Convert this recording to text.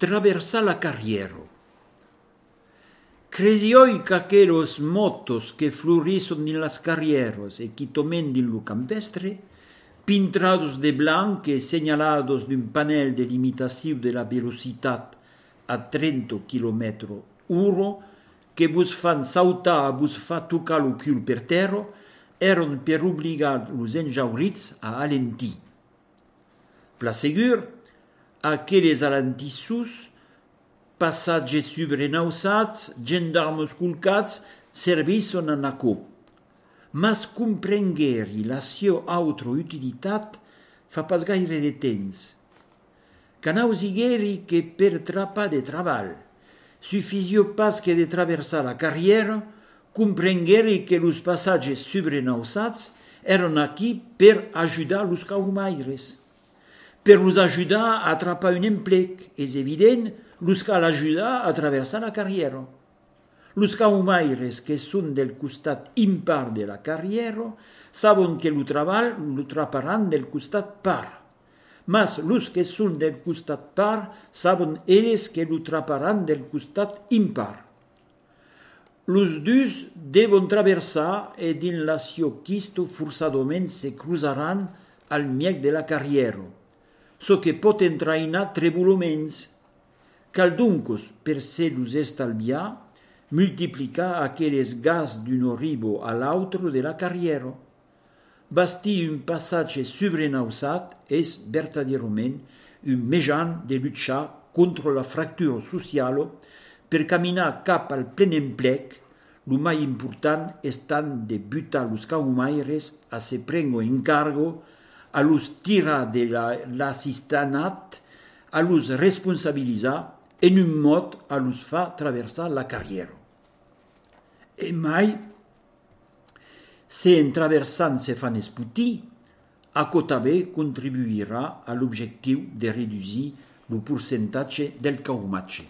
traversa la carriera. Cresioi que aquellos motos que florison en las carrieras e que tomen en lo campestre, pintados de blanco e señalados d'un panel de limitació de la velocitat a 30 km/h, que vos fan sautar, vos fa tocar lo cul per terra, eran per obligar los enjaurits a alentir. Pla segur, aquelles alentissos, passatges sobrenausats, gendarmes colcats, servisson en aquò. Mas comprengueri la sua altra utilitat fa pas gaire de temps. Canausigueri que per trapar de treball, suffisio pas que de traversar la carriera, comprengueri que los passatges sobrenausats eran aquí per ajudar los caumaires. Per los ajudar a atrapar un emplec, és evident, los cal ajudar a traversar la carriera. Los caumaires que són del costat impar de la carriera saben que lo treball lo traparan del costat par. Mas los que són del costat par saben elles que lo traparan del costat impar. Los dus deven traversar e din la sio quisto forçadament se cruzaran al miec de la carriera, so que pot entrainar trebulaments. Cal doncos, per se los estalviar, multiplicar aquelles gas d'un ribo a l'altre de la carriera. Bastir un passatge sobrenausat és verdaderament un mejan de luchar contra la fractura sociale per caminar cap al plen emplec. Lo mai important estant de butar los caumaires a se prengo encargo, a los tirar de l'assistanat, a los responsabilitzar, en un mod a los fa traversar la carriera. E mai, se en traversant se fan esputir, aquò també contribuirà a l'objectiu de reduir el percentatge del caumatge.